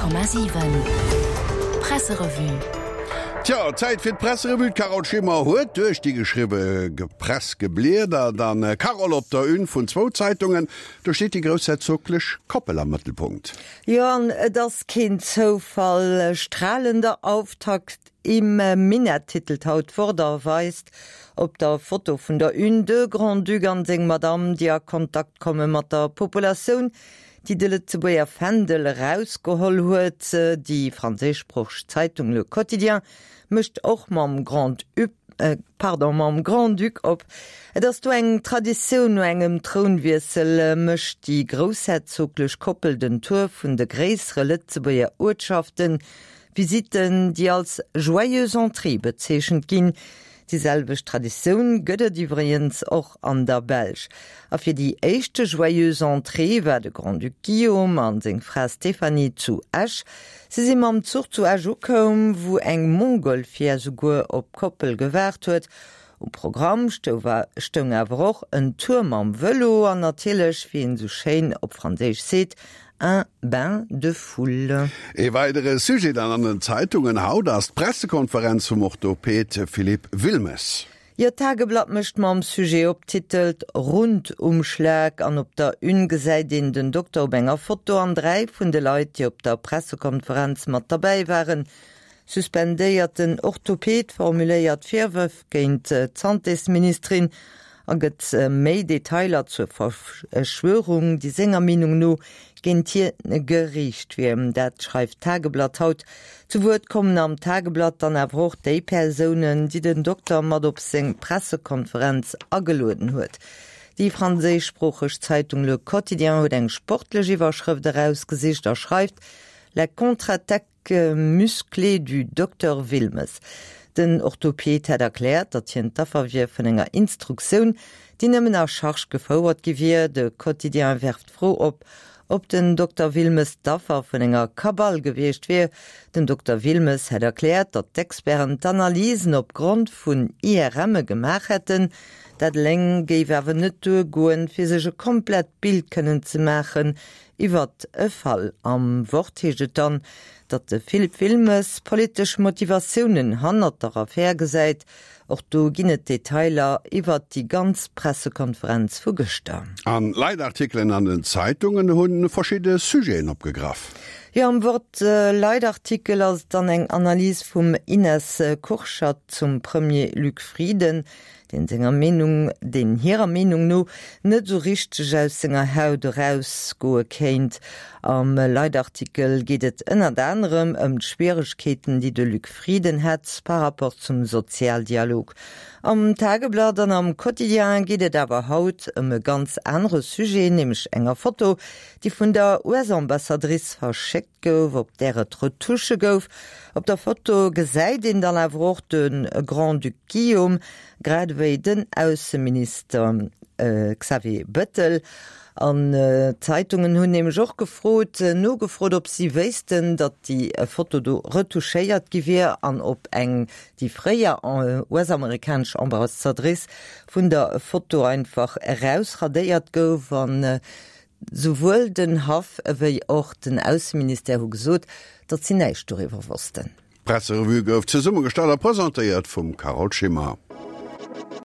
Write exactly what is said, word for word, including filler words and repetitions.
Komma siwen Presserevue. Tja, Zäit fir d'Presserevue. D'Carole Schimmer huet duerch déi geschriwwe Press gebliedert. An Carole, op der Une vun zwou Zeitungen, do steet déi groussherzoglech Koppel am Mëttelpunkt. Jo, an et ass keen Zoufall. Strahlender Auftakt im Minett titelt haut d'Wort a weist op der Foto vun der Une de Grand-Duc an seng Madame, déi a Kontakt komme mat der Populatioun, déi de Lëtzebuerger Fändel erausgeholl huet. Déi franséischsproocheg Zeitung Le Quotidien mécht och mam Grand pardon, mam Grand-Duc op. Et ass do eng Traditioun, no engem Trounwiessel mécht déi groussherzoglech Koppel den Tour vun de gréissere Lëtzebuerger Uertschaften. Visitten, déi als joyeuse entrée bezeechent ginn. Déi selwecht Traditioun gëtt et iwwregens och an der Belsch. A fir déi éischte joyeuse entrée war de Grand-Duc Guillaume an seng Fra Stéphanie zu Esch. Si si mam Zuch zu Esch ukoum, wou eng Montgolfière souguer op d'Koppel gewaart huet. Um Programm stoung awer och en Tour mam Vëlo an natierlech, wéi een esou schéin op Franséisch seet, un bain de foule. Ee weidere Sujet dann an den Zeitungen haut ass d'Pressekonferenz vum Orthoped Philippe Wilmes. Jo, d'Tageblatt mécht mam Sujet op, titelt Rundumschlag an op der Une gesäit een den Dokter op enger Foto an dräi vun de Leit, déi op der Pressekonferenz mat derbäi waren. Suspendéierten Orthoped formuléiert Virwërf géint d'Santésministerin a gëtt méi Detailer zur Verschwörung, déi senger Meenung no géint hie geriicht wier. Dat schreift d'Tageblatt haut. Zu Wuert kommen am Tageblatt dann awer och déi Persounen, déi den Dokter mat op seng Pressekonferenz agelueden huet. Déi franséischsproocheg Zeitung Le Quotidien huet eng sportlech Iwwerschrëft erausgesicht a schreift, La contre-attaque musclée du Docteur Wilmes. Den Orthoped hätt erkläert, datt hien d'Affer wier vun enger Instruktioun, déi nëmmen à charge gefouert gi wier. De Quotidien werft d'Fro op, ob den Dokter Wilmes d'Affer vun enger Kabal gewiescht wier. Den Dokter Wilmes hätt erkläert, datt d'Experten d'Analysen op Grond vun IRMe gemaach hätten. Dat eleng géif awer net duergoen, fir sech e komplett Bild kënnen ze maachen iwwert e Fall. Am Wort heescht et dann, datt de Philippe Wilmes politesch Motivatiounen hannert der Affär gesäit. Och do ginn et Detailer iwwert déi ganz Pressekonferenz vu gëschter. An Leitartikelen an den Zeitungen hunn verschidde Sujeten opgegraff. Jo, am Wort Leitartikel ass et dann eng Analys vum Ines Kurschat zum Premier Luc Frieden, deen senger Meenung, deen hirer Meenung no net esou richteg aus senger Haut erausgoe kéint. Am Leitartikel geet et ënnert anerem ëm d'Schwieregkeeten, déi de Luc Frieden hätt par rapport zum Sozialdialog. Am Tageblatt an am Quotidien geet et awer haut ëm e ganz anere Sujet, nämlech enger Foto, déi vun der US-Ambassadrice verschéckt gouf, op där et Retusche gouf. Op der Foto gesäit een dann awer och de Grand-Duc Guillaume, grad ewéi den Ausseminister Xavier Bettel. An d'Zeitungen hunn nämlech och gefrot, nogefrot, ob si wéissten, datt déi Foto do retouchéiert gi wier an ob eng déi fréier US-amerikanesch Ambassadrice vun der Foto einfach erausradéiert gouf. An souwuel den Haff ewéi och den Ausseministère hu gesot, datt si näischt doriwwer wossten. D'Presserevue gouf zesummegestallt a presentéiert vum Carole Schimmer.